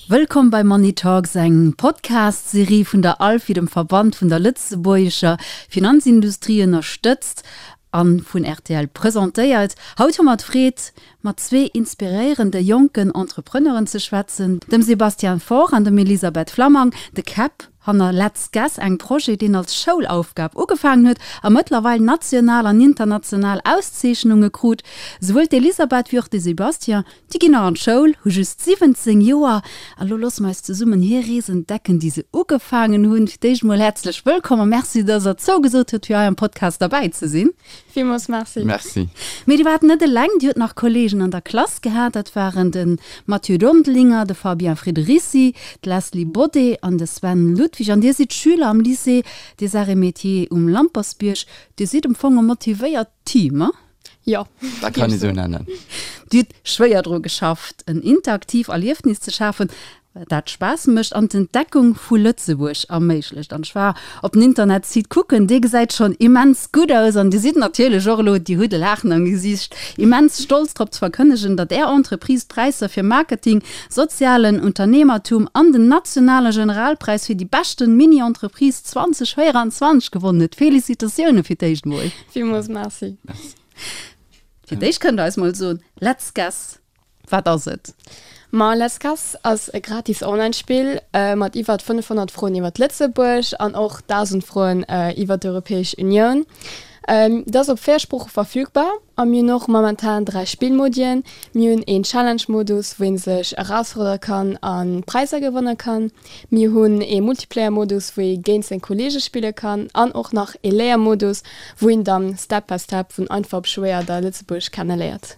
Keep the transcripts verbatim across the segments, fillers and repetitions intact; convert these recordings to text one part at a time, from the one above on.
Wëllkomm bei Money Talks, eng Podcast-Serie vun der ALFI, dem Verband vun der lëtzebuergescher Finanzindustrie, ënnerstëtzt a vun rtl presentéiert. Haut hu mer d'Freed, mat zwee inspiréierende jonken Entrepreneuren ze schwätzen, dem Sébastien Faure an dem Elisabeth Flammang, de Käpp hanner Let's Guess, engem Projet, deen als Schoulaufgab ugefaangen huet a mëttlerweil national an international Auszeechnunge krut. Souwuel d'Elisabeth wéi och de Sébastien, déi ginn nach an d'Schoul, hu just siwwenzéng Joer. A lo loosse mer eis zesummen hir Rees entdecken, déi se ugefaangen hunn. Fir d'éischt emol häerzlech wëllkomm a Merci, dass Der zougesot hutt, fir hei am Podcast derbäi ze sinn. Villmools Merci. Merci. Mee Dir waart net eleng, Dir hutt nach Kolleegen an der Klass gehat. Dat waren de Mathieu Dondelinger, de Fabien Friederici, d'Leslie Bodé an de Sven Ludwig. An Dir sidd Schüler am Lycée des Arts et Métiers um Lampertsbierg. Dir sidd am Fong e motivéiert Team, he? Jo. Dat kann ee sou nennen. Dir hutt schwéier dru geschafft, en interaktiv Erliefnis ze schafen, dat Spaass mécht an d'Entdeckung vu Lëtzebuerg erméiglecht. An ech war op den Internetsite kucken, dee gesäit schonn immens gutt aus. An Dir sidd natierlech och elo, Dir hutt e Laachen am Gesiicht, immens stolz drop ze verkënnegen, datt Är Entreprise d'Präisser fir Marketing, sozialen Unternehmertum an den nationale Generalpräis fir déi beschten Mini-Entreprise zwanzeg véieranzwanzeg gewonnen huet. Felicitatioune fir d'éischt mol! Villmools Merci. Fir d'éischt kënnt Der eis mol soen, Let's Guess, Wat ass et? Ma Let's Guess ass e gratis Online-Spill mat iwwert fënnefhonnert Froen iwwert Lëtzebuerg an och dausend Froen iwwert d'Europäesch Unioun. Et ass op véier Sprooche verfügbar a mir hunn och momentan dräi Spillmodien. Mir hunn een Challenge-Modus, wou ee sech erausfuerdere kann a Präisser gewanne kann. Mir hunn ee Multiplayer-Modus, wou ee géint seng Kolleege spille kann an och nach ee Léiermodus, wou een dann Step by Step vun einfach op schwéier da Lëtzebuerg kenneléiert.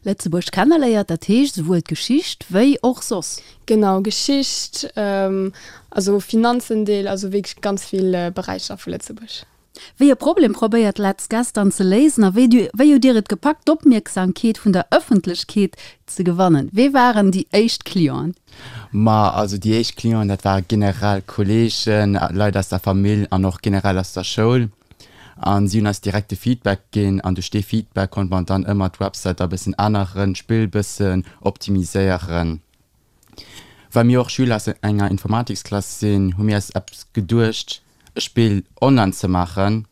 Lëtzebuerg kenneléiert, dat heescht esouwuel d'Geschicht wéi och soss. Genau, Geschicht, also Finanzendeel, also wierklech ganz vill Beräicher vu Lëtzebuerg. Wéi e Problem probéiert Let's Guess dann ze léisen a wéi wéi hutt Dir et gepackt d'Opmierksamkeet vun der Ëffentlechkeet ze gewannen? Wee waren déi éischt Clienten? Ma also déi éischt Clienten, dat ware generell Kolleegen, Leit aus der Famill an och generell aus der Schoul. An si hunn eis direkt de Feedback ginn an duerch dee Feedback konnte mer dann ëmmer d'Website da bëssen änneren, d'Spill bëssen optimiséieren. Well mir och Schüler aus enger Informatiksklass sinn, hu mir eis eppes geduecht, e Spill online ze maachen.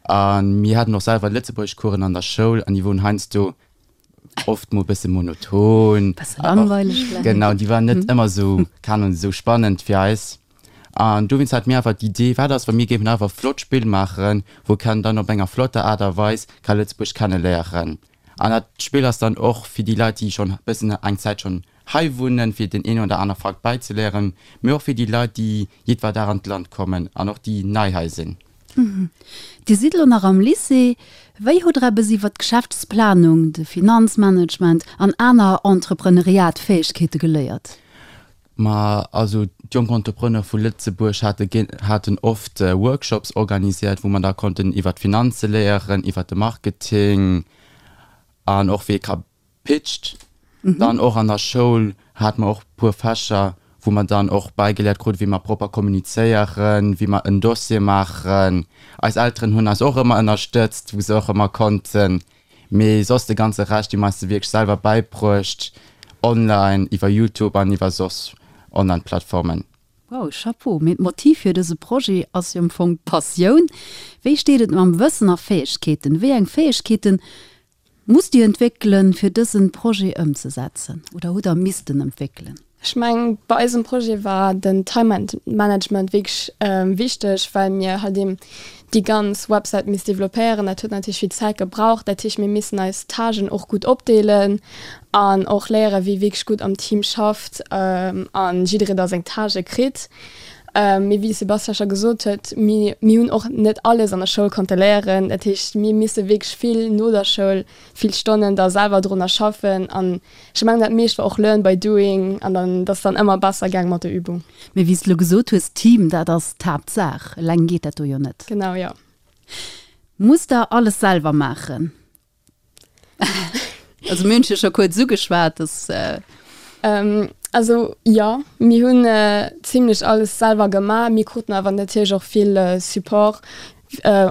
A mir haten och selwer Lëtzebuergeschcoursen an der Schoul an déi woren heiansdo oft mol bësse monoton. Bësse langweileg vläicht. Genau, déi waren net ëmmer esou, keen Ahnung, esou spannend fir eis. An dowéinst hate mir einfach d'Idee, wat ass, wa mir géifen einfach e flott Spill maachen, wou kann dann op enger flotter Aart a Weis ka Lëtzebuerg kenneléieren. An dat Spill ass dann och fir déi Leit, déi schonn bëssen eng Zäit schonn hei wunnen, fir den een oder aner Fakt bäizeléieren, mee och fir déi Leit, déi jiddwer Dag an d'Land kommen an och déi nei hei sinn. Dir sidd elo nach am Lycée. Wéi hutt Der eppes iwwer d'Geschäftsplanung, de Finanzmanagement an aner Entrepreneuriat-Fäegkeete geléiert? Ma also d'Jonk Entrepreneure vu Lëtzebuerg hate haten oft Workshops organisiert, wou mer da konnten iwwer d'Finanze léieren, iwwer de Marketing an och wéi ee ka pitcht. Dann och an der Schoul hate mer och puer Fächer, wou mer dann och bäigeléiert kruten, wéi mer propper kommunizéieren, wéi mer en Dossier maachen. Eis Elteren hunn eis och ëmmer ënnerstëtzt, wou se och ëmmer konnten. Mee soss de ganze Rescht, dee mer eis se wierklech selwer bäibruecht, online, iwwer Youtube an iwwer soss Online-Plattformen. Wow, Chapeau! Mee d'Motiv fir dëse Projet ass jo am Fong d'Passioun. Wéi steet et mam Wëssen a Fäegkeeten? Wéi eng Fäegkeeten musst Dir entwéckelen, fir dësen Projet ëmzesetzen oder hutt Der missten entwéckelen? Ech mengen, bei eisem Projet war den Time Management wierklech wichteg, well mir halt eben déi ganz Websäit misst developpéieren. Dat huet natierlech vill Zäit gebraucht. Dat heescht, mir missen eis Tâchen och gutt opdeelen an och léieren, wie wierklech gutt am Team schafft a jidderee da seng Tâchë kritt. Mee wéi de Sébastien scho gesot huet, mir hunn och net alles an der Schoul konnte léieren. Dat heescht, mir misse wierklech vill no der Schoul, vill Stonnen da selwer drunner schaffen an ech mengen dat meescht war och learn by doing an dann dat ass dann ëmmer besser gaang mat der Übung. Mee wéi s de lo gesot hues, Team, dat ass d'Haaptsaach, eleng geet dat do jo net. Genau, jo. Musst der alles selwer maachen? Also mir hunn jo scho kuerz ugeschwat, dass. Also jo, mir hunn zimlech alles selwer gemaach. Mir kruten awer natierlech och vill Support,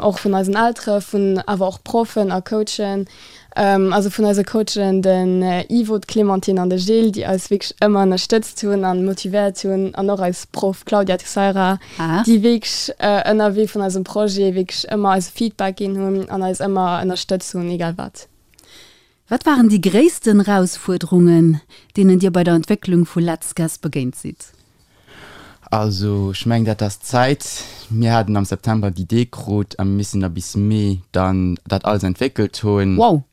och vun eisen Eltere, vun awer och Proffen a Coachen. Also vun eise Coachen, den Ivo, d'Clémentine an de Gilles, déi eis wierklech ëmmer ënnerstëtzt hunn an motivéiert hunn an och eis Proff Claudia Teixeira, déi wierklech ënnerwee vun eisem Projet wierklech ëmmer eis Feedback ginn hunn an eis ëmmer ënnerstëtzt hunn, egal wat. Wat waren déi gréissten Erausfuerderungen, deenen Dir bei der Entwécklung vu Let's Guess begéint sidd? Also ech mengen dat ass d'Zäit. Mir haten am September d'Idee krut a mir missen da bis Mee dann dat alles entwéckelt hunn. Wow!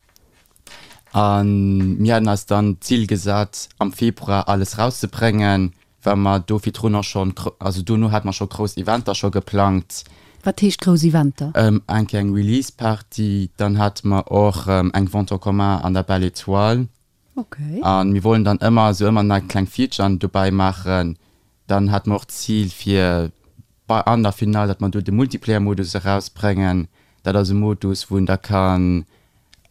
A mir haten eis dann d'Zil gesat am Februar alles rauszebréngen, well mer do virdrun och schonn, also dono hate mer scho grouss Eventer scho geplangt. Wat heescht grouss Eventer? Eng Kéier eng Release Party, dann hate mer och eng Vente en commun an der Belle Etoile. Okay. A mir wollen dann ëmmer esou ëmmer nei kleng Featuren dobäi maachen. Dann hate mer och d'Zil fir bei an der Finale, datt mer do de Multiplayer-Modus erausbréngen. Dat ass e Modus, wou een da kann,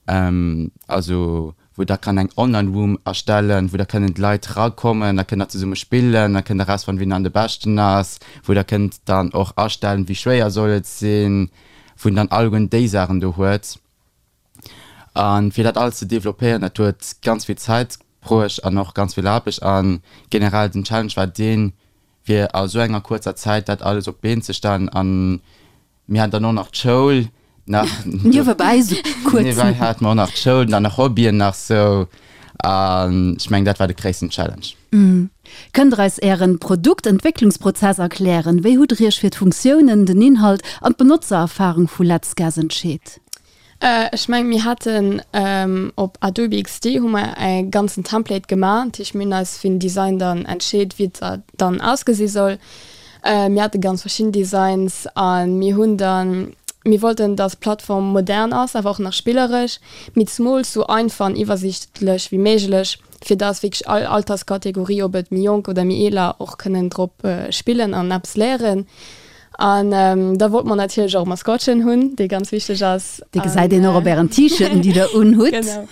also wou der kann eng Online-Room erstellen, wou da kënnen d'Leit rakommen, da kënnt der zesumme spillen, da kënnt der erausfannen, wien dann de Beschten ass, wou der kënnt dann och astellen, wéi schwéier soll et sinn, wou een dann alleguerten déi Saachen do huet. A fir dat alles ze developpéieren, dat huet ganz vill Zäit bruecht an och ganz vill Aarbecht. A generell den Challenge war deen, fir a sou enger kuerzer Zäit dat alles op d'Been ze stellen. A mir haten dann och nach d'Schoul nach. Niewebäi sou kuerz. Niewebäi hate mer och nach d'Schoul, dann nach Hobbyen nach sou. An ech mengen, dat war de gréissten Challenge. Kënnt Der eis Ären Produktentwécklungsprozess erklären? Wéi hutt Der Iech fir d'Funktiounen, den Inhalt an d'Benotzererfarung vu Let's Guess entscheet? Ech mengen, mir haten op Adobe XD hu mer e ganzen Template gemaach. Dat heescht, mir hunn eis fir den Design dann entscheet, wéi et dann ausgesi soll. Mir hate ganz verschidden Designs a mir hunn dann, mir wollten, dass d'Plattform modern ass, awer och nach spilleresch, mee zemools sou einfach an iwwersiichtlech wéi méiglech, fir dass wierklech all Alterskategorie, ob et méi jonk oder méi eeler, och kënnen drop spillen an eppes léieren. An da wollte mer natierlech och e Maskottchen hunn, dee ganz wichteg ass. Dee gesäit een och op ären T-Shirten, déi der unhutt. Genau.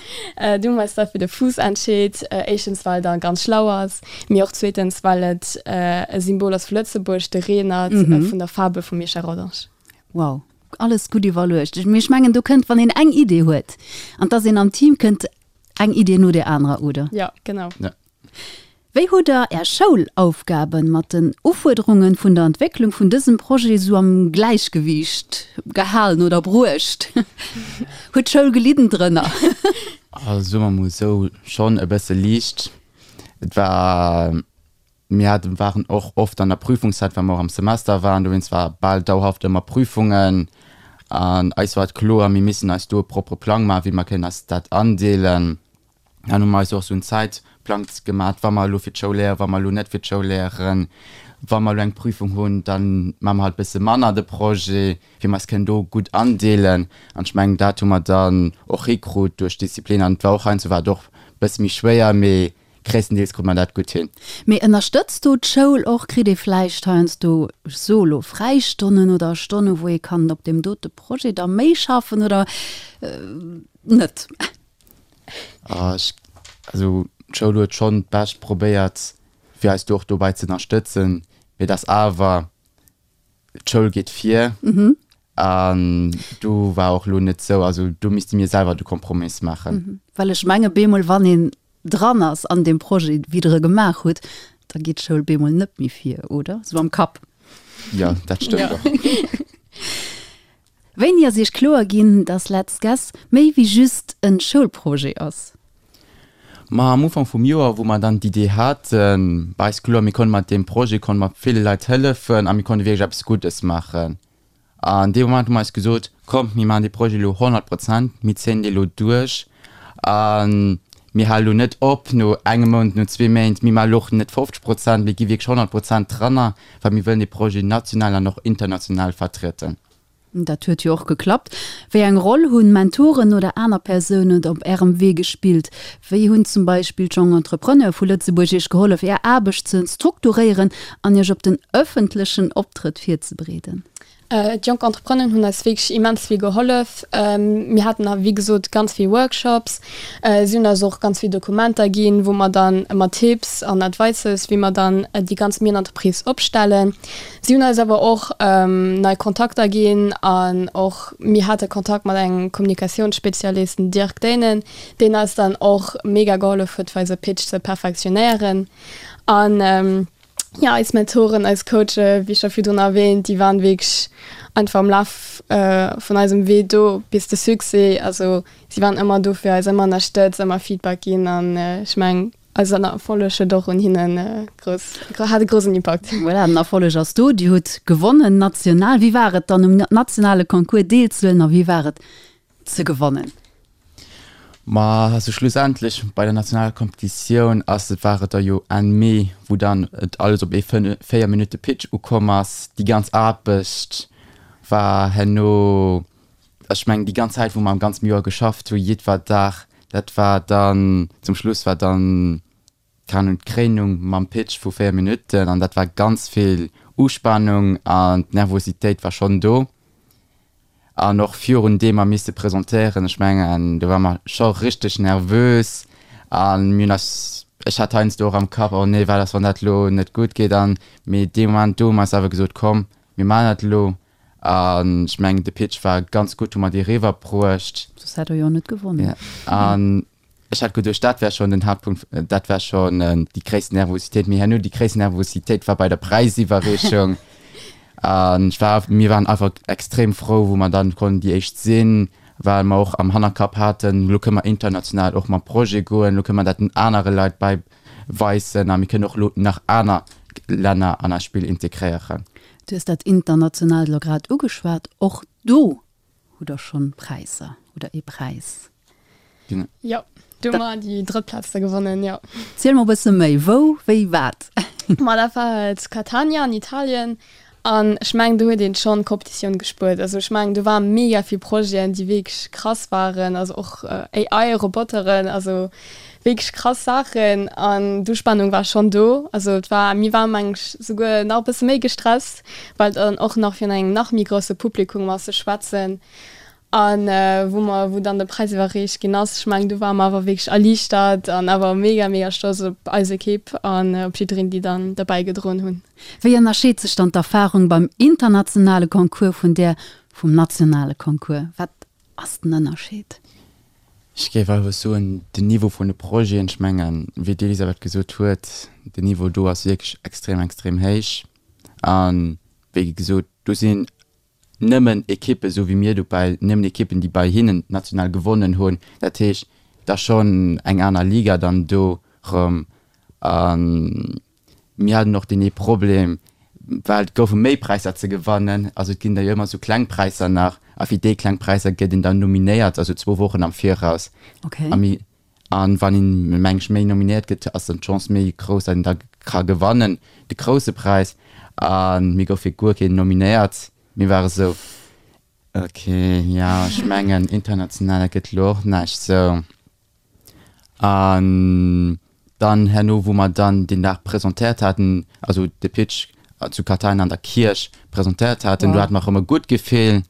Du hu mer eis da fir de Fuuss entscheet. Éischtens, well der ganz schlau ass, mee och zweetens, well et e Symbol ass vu Lëtzebuerg, de Reenert vun der Fabel vum Michel Rodange. Wow, alles gutt iwwerluecht. Mee ech mengen, do kënnt, wann een eng Idee huet, an 't ass een am Team, kënnt eng Idee no där anerer, oder? Jo, genau. Ja. Wéi hutt Der Är Schoulaufgaben mat den Ufuerderungen vun der Entwécklung vun dësem Projet sou am Gläichgewiicht gehalen oder bruecht? Huet d'Schoul gelidden drënner? Also soe mer mol esou, schonn e bësse liicht. Et war, mir haten, waren och oft an der Prüfungszäit, well mer och am Semester waren, dowéinst war bal dauerhaft ëmmer Prüfungen. An eis war et kloer, mir missen eis do e propere Plang maachen, wéi mer kënnen eis dat andeelen. Dann hu mer eis och esou en Zäitplang gemat, wa mer elo fir d'Schoul léieren, wa mer elo net fir d'Schoul léieren, wa mer elo eng Prüfung hunn, da maache mer halt e bësse manner de Projet, fir mer eis kënnen do gutt andeelen. An ech mengen, dat hu mer dann och hikrut duerch Disziplin. An et war och heiansdo war et och e bësse méi schwéier, mee gréisstendeels krut mer dat gutt hin. Mee ënnerstëtzt do d'Schoul och? Kritt ee vläicht heiansdo, ech soe elo, Fräistonnen oder Stonnen, wou ee kann op deem dote Projet da méi schaffen oder net? Also d'Schoul huet schonn d'Bescht probéiert, fir eis do och dobäi ze ënnerstëtzen, mee et ass awer, d'Schoul geet vir an do war och elo net sou, also do misste mir selwer de Kompromiss maachen. Well ech menge bemol, wann een dran ass an deem Projet, wéi Der e gemaach hutt, da geet d'Schoul bemol net méi vir, oder? Sou am Kapp. Jo, dat stëmmt och. Wéini ass Iech kloer ginn, dass Let's Guess méi wéi just en Schoulprojet ass? Ma am Ufank vum Joer, wou mer dann d'Idee haten, war eis kloer, mir konnte mat deem Projet konnte mer ville Leit hëllefen a mir konnte wierklech eppes Guddes maachen. An dee Moment hu mer eis gesot, Kommt, mir maachen dee Projet elo honnert Prozent, mir zéien dee elo duerch a mir hale elo net op no engem Mount, no zwee Méint, mir maache elo och net fofzeg Prozent, mir gi wierklech honnert Prozent dranner, well mir wëllen dee Projet national an och international vertrieden. Dat huet jo och geklappt. Wéi eng Roll hunn Mentoren oder aner Persounen op Ärem Wee gespillt? Wéi hunn zum Beispill d'Jonk Entrepreneure vu Lëtzebuerg Iech gehollef, Är Aarbecht ze strukturéieren an Iech op den ëffentlechen Optrëtt virzebereeden? D'Jonk Entrepreneuren hunn eis wierklech immens vill gehollef. Mir haten wéi gesot ganz vill Workshops. Si hunn eis och ganz vill Dokumenter ginn, wou mer dann mat Tipps an Advices, wéi mer dann déi ganz Mini-Entreprise opstellen. Si hunn eis awer och nei Kontakter ginn an och mir hate Kontakt mat engem Kommunikatiounsspezialist, den Dirk Dehnen, deen eis dann och mega gehollef huet, fir eise Pitch ze perfektionéieren. An jo, eis Mentoren, eis Coache, wéi scho virdrun erwähnt, déi waren wierklech einfach am Laf vun eisem Wee do bis de Succès. Also si waren ëmmer do fir eis, ëmmer ënnerstëtzt, ëmmer Feedback ginn an ech mengen, eisen Erfolleg huet och un hinnen grouss, hat e groussen Impakt. Voilà, den Erfolleg ass do, Dir hutt gewonnen national. Wéi war et dann um nationale Concours deelzehuelen a wéi war et ze gewannen? Ma also schlussendlech bei der nationaler Kompetitioun ass et, war et da jo Enn Mee, wou dann et alles op ee véier Minutte Pitch ukomm ass. Déi ganz Aarbecht war herno, ech mengen déi ganz Zäit wou mer am ganzem Joer geschafft hu jiddwer Dag, dat war dann zum Schluss war dann, keng Ahnung, d'Kréinung mam Pitch vu véier Minutten an dat war ganz vill Uspanung an d'Nervositéit war schonn do. An och virun deem mer misste presentéieren, ech mengen, do ware mer scho richteg nervös a mir hunn eis, ech hat heiansdo och am Kapp, oh nee, wat ass, wann dat elo net gutt geet an, mee dee Moment do hu mer eis awer gesot, komm, mir maachen dat elo. An ech mengen, de Pitch war ganz gutt, hu mer dee eriwwerbruecht. Soss hätt Der jo net gewonnen. An Ech hat geduecht, dat wär schonn den Haaptpunkt, dat wär schonn déi gréissten Nervositéit. Mee herno, déi gréissten Nervositéit war bei der Präisiwwerreechung. An ech war, mir waren einfach extrem frou, wou mer dann konnten déi éischt sinn, well mer och am Hannerkapp haten, elo kënne mer international och mam Projet goen, elo kënne mer dat den anere Leit bei weisen a mir kënnen och elo nach aner Länner an eist Spill integréieren. Du hues dat Internationaalt elo grad ugeschwat. Och do hutt Der schonn Präisser oder ee Präis. Jo, do hu mer déi drëtt Plaz da gewonnen, jo. Ziel mer e bësse méi, wou, wéi, wat? Ma dat war zu Catania an Italien an ech mengen do huet een schonn d'Competitioun gespuert. Also ech mengen do ware mega vill Projeten, déi wierklech krass waren, also och A I Roboteren, also wierklech krass Saachen an d'Uspannung war schonn do. Also et war, mir ware meng ech souguer nach e bësse méi gestresst, well dann och nach virun engem nach méi grousse Publikum ass ze schwätzen. An wou mer, wou dann de Präis iwwerreecht ginn ass, ech mengen do ware mer awer wierklech erliichtert an awer mega, mega stolz op eis Ekipp an op jiddereen, déi dann derbäi gedroen hunn. Wéi ënnerscheet sech dann d'Erfarung beim internationale Concours vun där vum nationale Concours? Wat ass den Ënnerscheed? Ech géif einfach soen, den Niveau vun de Projeten, ech mengen, wéi d'Elisabeth gesot huet, den Niveau do ass wierklech extrem, extrem héich. A wéi gesot, do sinn nëmmen Ekippen, esou wéi mir dobäi, nëmmen Ekippen, déi bei hinnen national gewonnen hunn. Dat heescht, et ass schonn eng aner Liga dann do erëm. A mir haten och deen ee Problem, well et goufe méi Präisser ze gewannen, also et ginn da jo ëmmer esou kleng Präisser nach, a fir déi kleng Präisser gëtt een dann nominéiert, also zwou Wochen am Viraus. A mir, a wann een, meng ech, méi nominéiert gëtt, ass dann d'Chance méi grouss, datt een da ka gewannen, de grousse Präis. A mir goufe guer keen nominéiert. Mir ware sou, ok, jo, ech mengen international, dat gëtt elo och näischt sou. An dann herno, wou mer dann deen Dag presentéiert haten, also de Pitch zu Catania an der Kierch presentéiert haten, do hate mer erëm e gutt Gefill.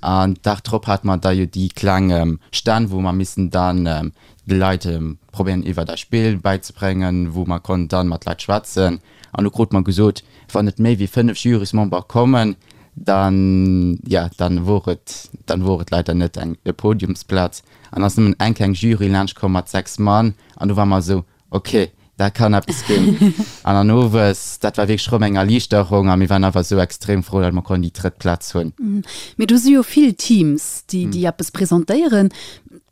An Dag drop hate mer da jo déi kleng Stänn, wou mer missen dann de Leit probéieren iwwert eist Spill bäizebréngen, wou mer konnten dann mat Leit schwätzen. An do krute mer gesot, wann net méi wéi fënnef Jurysmember kommen, dann, ja, dann wor et, dann wor et leider net eng e Podiumsplaz. An ass nëmmen eng kleng Jury laanscht komm mat sechs Mann an do war mer esou, ok, dat kann eppes ginn. An dann owes, dat war wierklech erëm eng Erliichterung a mir waren awer esou extrem frou, datt mer konnten déi drëtt Plaz hunn. Mee do si jo vill Teams, déi, déi eppes presentéieren.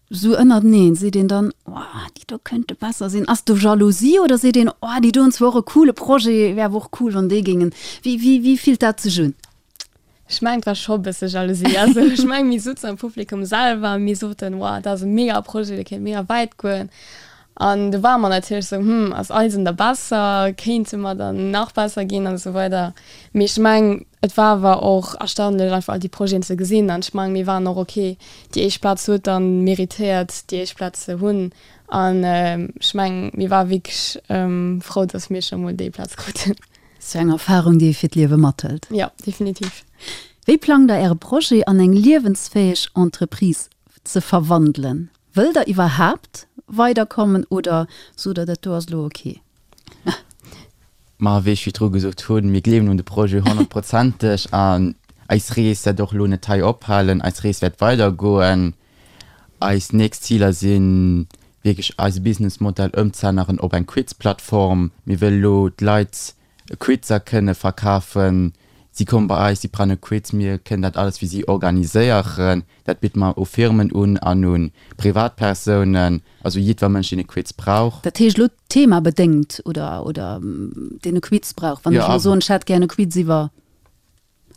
Sou ënnerteneen, seet een dann, oh, déi do könnte besser sinn? Ass do Jalousie oder seet een, oh, déi do hunn zwar och e coole Projet, wär awer och cool, wann déi géingen. Wéi, wéi, wéi fillt dat sech un? Ech mengen, et war scho e bësse Jalousie. Also ech mengen, mir souzen am Publikum selwer a mir soten, wow, dat ass e mega Projet, dee kéint mega wäit goen. An do ware mer natierlech sou, hm, ass eisen da besser, kéinte mer dann nach besser ginn an esou weider. Mee ech mengen, et war awer och erstaunlech einfach all déi Projeten ze gesinn an ech mengen, mir waren och ok, déi éischt Plaz huet dann méritéiert déi éischt Plaz ze hunn an ech mengen, mir ware wierklech frou, dass mir scho mol déi Plaz kruten. Sou eng Erfarung, déi ee fir d'Liewe mathëlt. Jo, definitiv. Wéi plangt der Äre Projet an eng liewensfäeg Entreprise ze verwandelen? Wëllt der iwwerhaapt weiderkommen oder sot der, dat do ass elo ok? Ma wéi ech virdru gesot hunn, mir gleewen un de Projet honnertprozenteg an eis Rees wäert och elo net hei ophalen, eis Rees wäert weidergoen. Eis nächst Ziler si wierklech eise Businessmodell ëmzeänneren op eng Quiz-Plattform. Mir wëlle lo d'Leit Quizer kënne verkafen. Si komme bei eis, si brauchen e Quiz, mir kënnen dat alles fir si organiséieren. Dat bidde mer u Firmen un an u Privatpersounen, also jiddwer Mënsch, deen e Quiz brauch. Dat heescht elo themabedéngt oder, oder deen e Quiz brauch? Wann ech elo soen, ech hätt gär e Quiz iwwer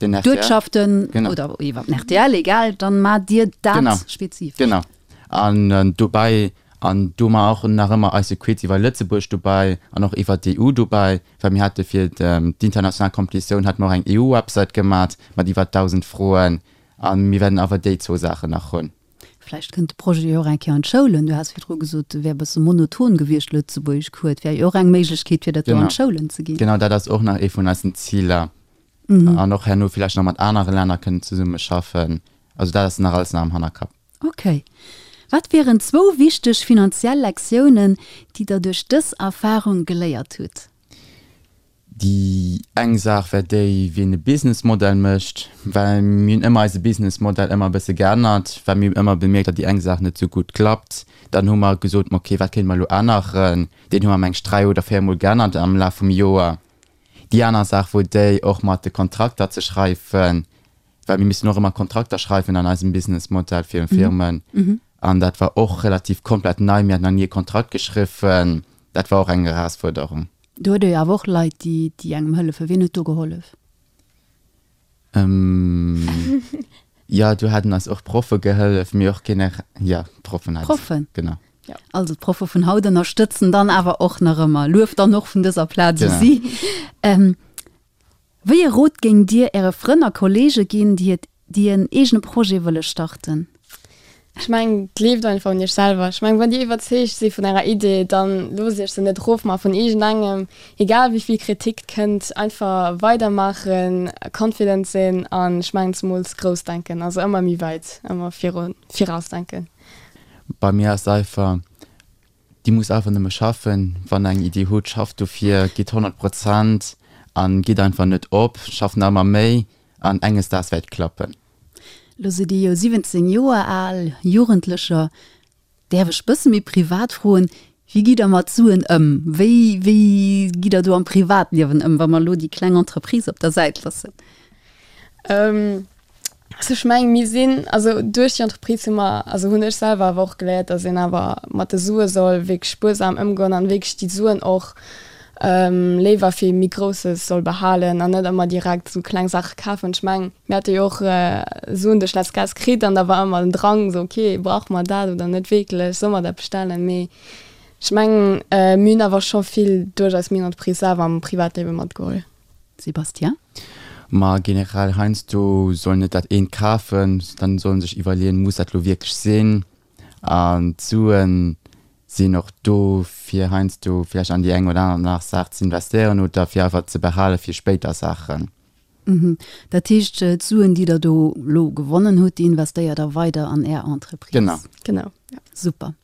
d'Uertschaften oder iwwer den rtl, egal, dann maacht Dir dat spezifesch. Genau. An dobäi, an do hu mer och nach ëmmer eise Quiz iwwer Lëtzebuerg dobäi an och iwwer d'EU dobäi, well mir hate fir d'international Competitioun hate mer och eng EU-Website gemat mat iwwer dausend Froen. A mir wäerten awer déi zwou Saachen nach hunn. Vläicht kënnt de Projet jo och eng Kéier an d'Schoulen. Du has virdru gesot, e wär e bësse monoton gewiescht, Lëtzebuergeschcours. Et wär jo och eng Méiglechkeet, fir dat do an d'Schoulen ze ginn. Genau, dat ass och nach ee vun eisen Ziler. An och herno villäicht nach mat anere Länner kënnen zesummeschaffen. Also dat ass nach alles nach am Hannerkapp. Ok. Wat wieren zwou wichteg finanziell Lektiounen, déi Der duerch dës Erfarung geléiert hutt? Déi eng Saach wär déi, wien e Businessmodell mécht, well mir hunn ëmmer eise Businessmodell ëmmer e bësse geännert, well mir hunn ëmmer bemierkt, datt déi eng Saach net esou gutt klappt. Dann hu mer gesot, ma ok, wat kéinte mer elo änneren? Deen hu mer meng ech dräi oder véier Mol geännert am Laf vum Joer. Déi aner Saach wor déi, och mat de Kontrakter ze schreiwen, well mir missen och ëmmer Kontrakter schreiwen an eisem Businessmodell fir Firmen. An dat war och relativ komplett nei, mir haten nach ni e Kontrakt geschriwwen. Dat war och eng Erausfuerderung. Do huet ee jo awer och Leit, déi, déi engem hëllefen. Wien huet do gehollef? Jo, do haten eis och Proffe gehëllef, mee och genere, jo, d'Proffen haten. Proffen? Genau. Ja. Also d'Proffe vun haut ënnerstëtzen dann awer och nach ëmmer. Luef dann och vun dëser Plaz u si. Wéi e Rot géingt Dir Äre Frënn a Kolleege ginn, déi et, déi en eegene Projet wëlle starten? Ech mengen, gleeft einfach un Iech selwer. Ech mengen, wann Dir iwwerzeegt si vun Ärer Idee, dann loosst Iech se net erofmaachen vun iergendengem, egal wéi vill Kritik kënnt. Einfach weidermaachen, confident sinn an ech mengen zemools grouss denken, also ëmmer méi wäit, ëmmer virun, virausdenken. Bei mir ass einfach, Dir musst einfach nëmme schaffen. Wann der eng Iddi hutt, schafft dofir, gitt honnert Prozent an gitt einfach net op, schafft nach ëmmer méi an enges Daags wäert et klappen. Lo sidd Dir jo siwwenzéng Joer al, Jugendlecher. Däerf ech bësse méi privat froen, wéi gitt Der mat Suen ëm? Wéi, wéi gitt Der do am Privatliewen ëm, wa mer elo déi kleng Entreprise op der Säit loossen? Also ech mengen, mir sinn, also duerch déi Entreprise hu mer, also hunn ech selwer awer och geléiert, datt een awer mat de Sue soll wierklech spuersam ëmgoen an wierklech déi Suen och léiwer fir méi Grousses soll behalen an net ëmmer direkt esou kleng Saache kafen. Ech mengen, mir hate jo och Suen duerch Let's Guess kritt an da war ëmmer den Drang esou, okay, brauche mer dat oder net wierklech, solle mer dat bestellen? Mee ech mengen, mir hunn awer scho vill duerch eis Mini-Entreprise selwer am Privatliewe matgeholl. Sébastien? Ma generell heiansdo soll net dat eent kafen, dann soll en sech iwwerleeën, muss dat lo wierklech sinn? An d'Suen sinn och do fir heiansdo vläicht an déi eng oder aner nach Saach ze investéieren oder fir einfach ze behale fir spéider Saachen. Dat heescht, d'Suen, déi Der do lo gewonnen hutt, déi investéiert Der weider an Är Entreprise? Genau. Genau, ja. Super.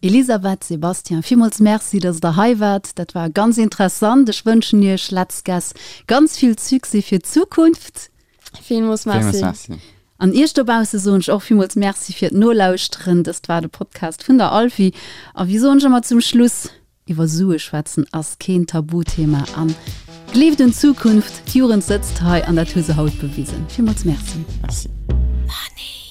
Elisabeth, Sébastien, villmools Merci, dass Der hei waart. Dat war ganz interessant. Ech wënschen Iech, Let's Guess, ganz vill Succès fir d'Zukunft. Villmools Merci. Villmools Merci. An Iech dobausse soen ech och villmools Merci fir d'Nolauschteren. Dëst war de Podcast vun der Alfi. A wéi soen ech ëmmer zum Schluss, Iwwer Sue schwätzen ass keen Tabuthema an gleeft un d'Zukunft. D'Jugend sëtzt hei an dat hu se haut bewisen. Villmools Merci. Merci. Money.